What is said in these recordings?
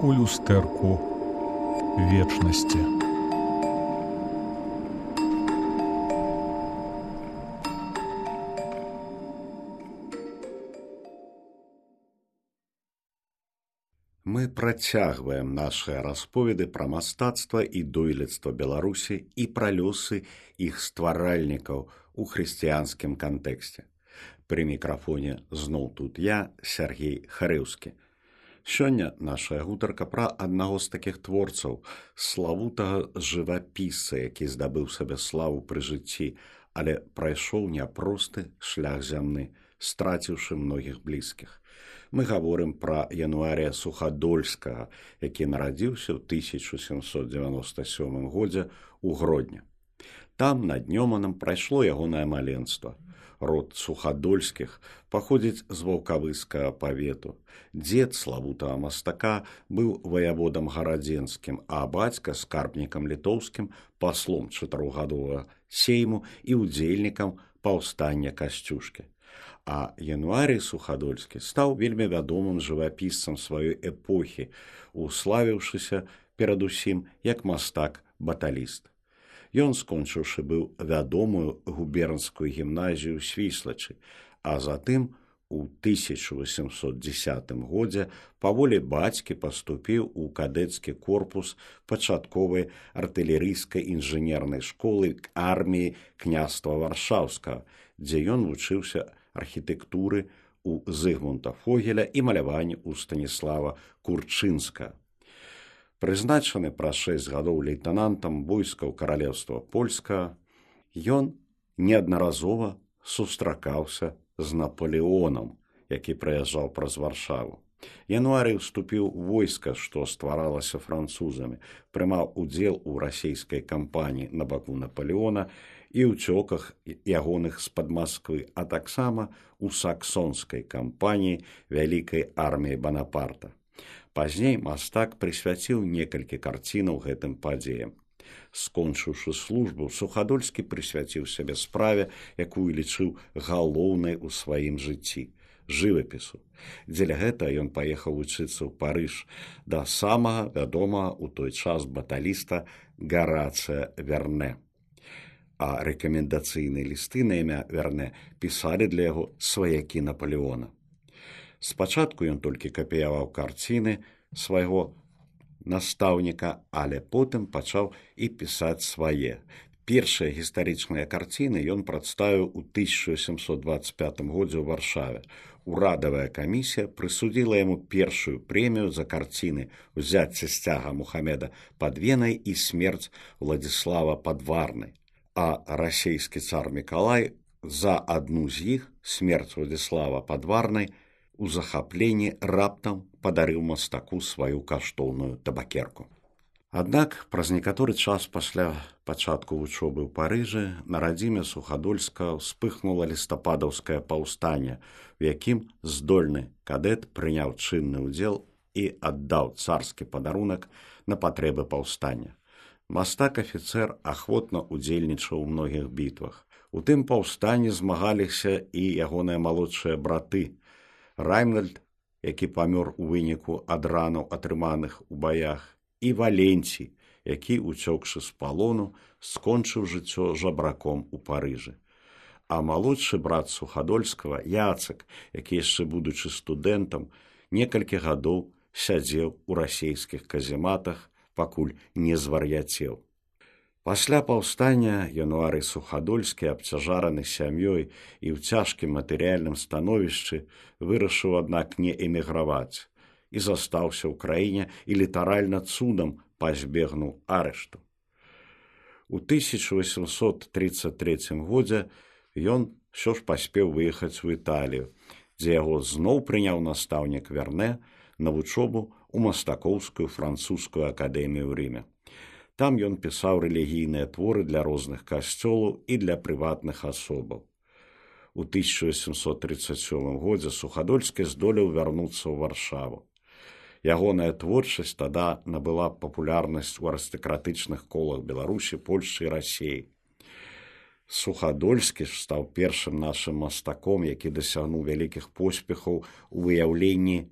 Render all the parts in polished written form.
у люстэрку вечнасці. Мы працягваем нашыя расповеды пра мастацтва і дойлідства Беларусі і пра лёсы іх стваральнікаў у хрысціянскім кантэксце. Пры мікрафоне зноў тут я, Сергей Харэўскі. Сёння нашая гутарка пра аднаго з такіх творцаў, славутага жывапісца, які здабыў сабе славу пры жыцці, але прайшоў няпросты шлях зямны, страціўшы многіх блізкіх. Мы гаворым пра Януарія Сухадольскага, які нарадзіўся ў 1797 годзе ў Гродні. Там над Нёманам прайшло ягонае маленства. Род Сухадольскіх паходзіць з ваўкавыскага павету. Дзед славутага мастака быў ваяводам гарадзенскім, а бацька скарбнікам літоўскім, паслом чатырохгадовага сейму і ўдзельнікам паўстання Касцюшкі. А Януарій Сухадольскі стаў вельмі вядомым жывапісцам сваёй эпохі, уславіўшыся перадусім як мастак-баталіст. Ён, скончыўшы, быў вядомую губернскую гімназію Свіслачы, а затым у 1810 годзе па волі бацькі паступіў у кадэцкі корпус пачатковай артылерыйскай інжынернай школы арміі княства Варшаўскага, дзе ён вучыўся архітэктуры у Зыгмунта Фогеля і маляванні ў Станіслава Курчынскага. Прызначаны праз 6 гадоў лейтэнантам войскаў каралеўства польскага, ён неаднаразова сустракаўся з Напалеонам, які прыязджаў праз Варшаву. Януарый уступіў у войска, што стваралася французамі, прымаў удзел у расійскай кампаніі на баку Напалеона і ўцёках ягоных з-пад Масквы, а таксама у саксонскай кампаніі вялікай арміі Банапарта. Пазней мастак прысвяціў некалькі карцінаў гэтым падзеям. Скончыўшы службу, Сухадольскі прысвяціў сябе справе, якую лічыў галоўнай у сваім жыцці – жывапісу. Дзеля гэта ён паехаў вучыцца ў Парыж да самага вядомага ў той час баталіста Гарацыя Верне. А рэкамендацыйныя лісты на імя Верне пісалі для яго сваякі Напалеона. Спачатку ён толькі капіяваў карціны свайго настаўніка, але потым пачаў і пісаць свае. Першыя гістарычныя карціны ён прадставіў у 1725 годзе ў Варшаве. Урадавая камісія прысудзіла яму першую прэмію за карціны «Узяцце сцяга Мухамеда пад Венай» і «Смерць Владзіслава пад Варнай». А расійскі цар Мікалай за адну з іх, «Смерць Владзіслава пад Варнай», у захапленні раптам падарыў мастаку сваю каштоўную табакерку. Аднак праз некаторы час пасля пачатку вучобы ў Парыжы на радзіме Сухадольскага ўспыхнула лістападаўскае паўстанне, у якім здольны кадэт прыняў чынны ўдзел і аддаў царскі падарунак на патрэбы паўстання. Мастак-афіцэр ахвотна ўдзельнічаў у многіх бітвах. У тым паўстанні змагаліся і ягоныя малодшыя браты. Раймнальд, які памёр у выніку ад ранаў, атрыманых у баях, і Валенцій, які, уцёкшы з палону, скончыў жыццё жабраком у Парыжы. А малодшы брат Сухадольскага, Яцек, які яшчэ будучы студэнтам, некалькі гадоў сядзеў у расійскіх казематах, пакуль не звар'яцеў. Пасля паўстання Януарый Сухадольскі, абцяжараны сям'ёй і ў цяжкім матэрыяльным становішчы, вырашыў, аднак, не эміграваць і застаўся ў краіне і літаральна цудам пазбегнуў арышту. У 1833 годзе ён ўсё ж паспеў выехаць у Італію, дзе яго зноў прыняў настаўнік Верне на вучобу ў мастакоўскую французскую акадэмію ў Рыме. Там ён пісаў рэлігійныя творы для розных касцёлаў і для прыватных асобаў. У 1837 годзе Сухадольскі здолеў вярнуцца ў Варшаву. Ягоная творчасць тада набыла папулярнасць у арыстакратычных колах Беларусі, Польшчы і Расіі. Сухадольскі ж стаў першым нашым мастаком, які дасягнуў вялікіх поспехаў у выяўленні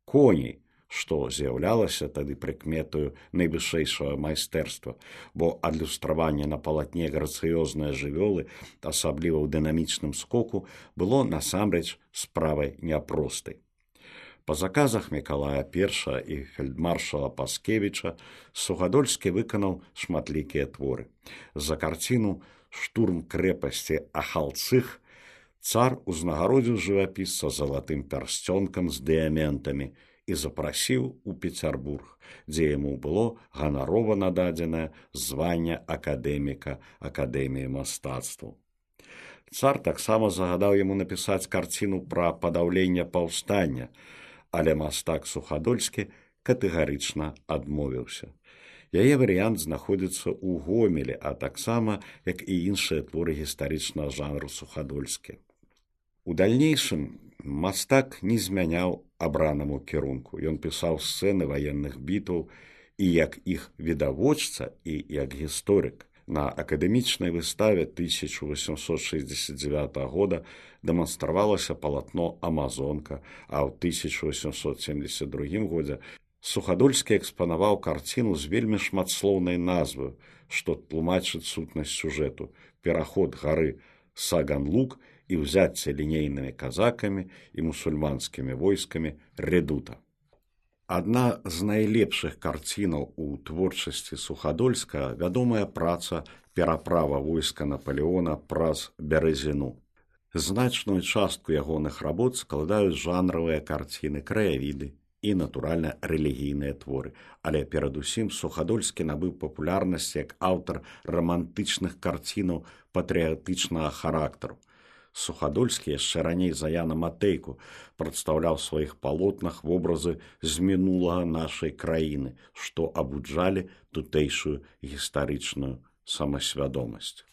коней, што з'яўлялася тады прыкметаю найвышэйшага майстэрства, бо адлюстраванне на палатне грацыёзныя жывёлы, асабліва ў дынамічным скоку, было насамрэч справай няпростай. Па заказах Мікалая I і фельдмаршала Паскевіча Сухадольскі выканаў шматлікія творы. За карціну «Штурм крэпасці Ахалцых» цар узнагародзіў жывапісца залатым пярсцёнкам з дыяментамі і запрасіў у Пецярбург, дзе яму было ганарова нададзенае званне акадэміка Акадэміі мастацтваў. Цар таксама загадаў яму напісаць карціну пра падаўленне паўстання, але мастак Сухадольскі катэгарычна адмовіўся. Яе варыянт знаходзіцца ў Гомелі, а таксама, як і іншыя творы гістарычнага жанру Сухадольскі. У дальнейшым мастак не змяняў абранаму кірунку. Ён пісаў сцэны ваенных бітваў і як іх відавочца, і як гісторык. На акадэмічнай выставе 1869 года дэманстравалася палатно «Амазонка», а ў 1872 годзе Сухадольскі экспанаваў карціну з вельмі шматслоўнай назваю, што тлумачыць сутнасць сюжэту «Пераход гары Саган-Лук і ўзяцце лінейнымі казакамі і мусульманскімі войскамі Редута». Адна з найлепшых карцінаў у творчасці Сухадольскага вядомая праца «Пераправа войска Напалеона праз Бярэзіну». Значную частку ягоных работ складаюць жанравыя карціны, краявіды і, натуральна, рэлігійныя творы. Але перадусім Сухадольскі набыў папулярнасць як аўтар рамантычных карцінаў патрыятычнага характару. Сухадольскі яшчэ раней за Яна Матейку прадстаўляў у сваіх палотнах вобразы з мінулага нашай краіны, што абуджалі тутэйшую гістарычную самасвядомасць.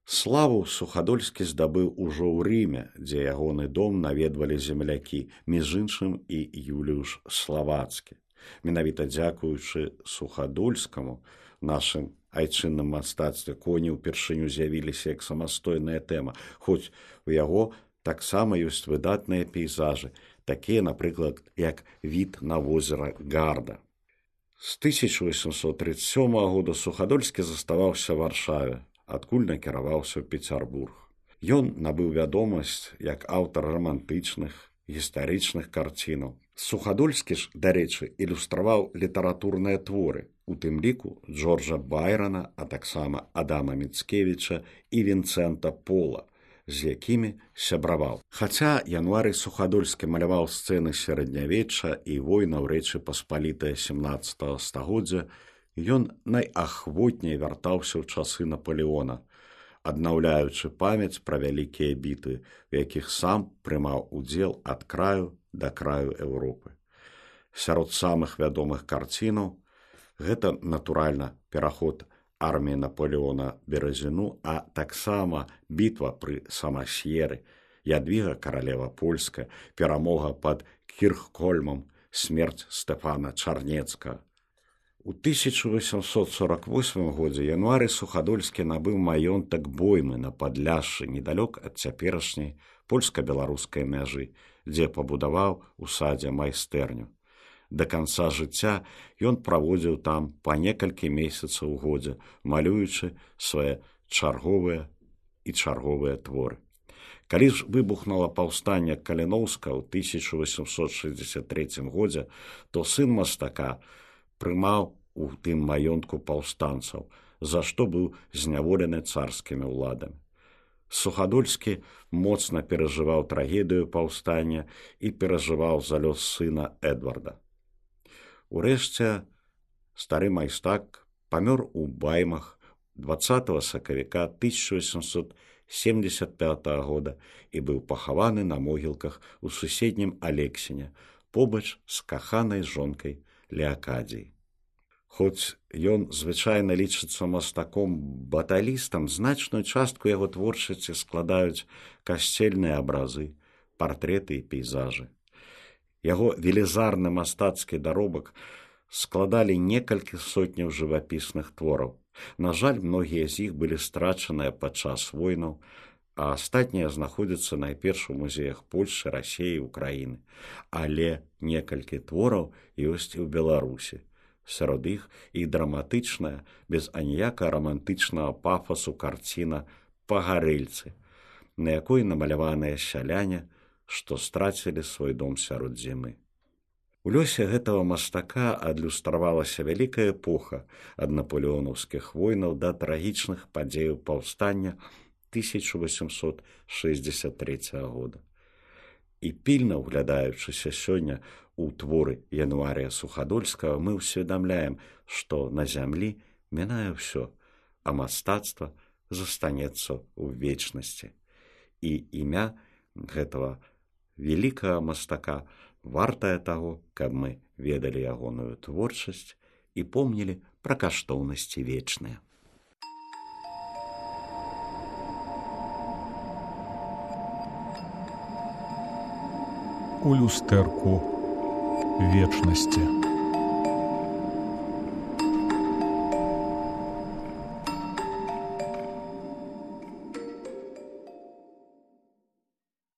Славу Сухадольскі здабыў ужо ў Рыме, дзе ягоны дом наведвалі землякі, між іншым і Юліуш Славацкі. Менавіта дзякуючы Сухадольскаму нашым айчынным мастацтве коні ўпершыню з'явіліся як самастойная тэма, хоць у яго таксама ёсць выдатныя пейзажы, такія, напрыклад, як від на возера Гарда. З 1837 года Сухадольскі заставаўся ў Варшаве, адкуль накіраваўся ў Пецярбург. Ён набыў вядомасць як аўтар рамантычных, гістарычных карцінаў. Сухадольскі ж, дарэчы, ілюстраваў літаратурныя творы, у тым ліку Джорджа Байрона, а таксама Адама Міцкевіча і Вінцэнта Пола, з якімі сябраваў. Хаця Януарый Сухадольскі маляваў сцэны сярэднявечча і войнаў Рэчы Паспалітае 17 стагоддзя, ён найахвотней вяртаўся ў часы Напалеона, аднаўляючы памяць пра вялікія бітвы, у якіх сам прымаў удзел ад краю да краю Еўропы. Сярод самых вядомых карцінаў гэта, натуральна, пераход арміі Напалеона Бярэзіну, а таксама бітва пры Самасьеры, Ядвіга каралева польская, перамога пад Кірхкольмам, смерць Стэфана Чарнецкага. У 1848 годзе Януарый Сухадольскі набыў маёнтак Боймы на Падляшшы, недалёк ад цяперашняй польска-беларускай мяжы, дзе пабудаваў у садзе майстэрню. Да канца жыцця ён праводзіў там па некалькі месяцаў у годзе, малюючы свае чарговыя творы. Калі ж выбухнула паўстанне Каліноўска ў 1863 годзе, то сын мастака прымаў у тым маёнтку паўстанцаў, за што быў зняволены царскімі ўладамі. Сухадольскі моцна перажываў трагедыю паўстання і перажываў за лёс сына Эдварда. Урэшце, стары майстак памёр у Баймах 20 сакавіка 1875 года і быў пахаваны на могілках у суседнім Алексіне, побач з каханай жонкай Леакадзіяй. Хоць ён звычайна лічыцца мастаком-баталістам, значную частку яго творчасці складаюць касцельныя абразы, партрэты і пейзажы. Яго велізарны мастацкі даробак складалі некалькі сотняў жывапісных твораў. На жаль, многія з іх былі страчаныя падчас войнаў, а астатнія знаходзяцца найперш у музеях Польшы, Расіі, Украіны. Але некалькі твораў ёсць і ў Беларусі. Сярод іх і драматычная, без аніякага рамантычнага пафасу карціна «Пагарэльцы», на якой намаляваныя сяляне, што страцілі свой дом сярод зімы. У лёсе гэтага мастака адлюстравалася вялікая эпоха ад напалеонаўскіх войнаў да трагічных падзеяў паўстання 1863 года. І пільна ўглядаючыся сёння ў творы Януарія Сухадольскага, мы ўсведамляем, што на зямлі мінае ўсё, а мастацтва застанецца ў вечнасці. І імя гэтага вялікага мастака вартае таго, каб мы ведалі ягоную творчасць і помнілі пра каштоўнасці вечныя. У люстэрку вечнасці.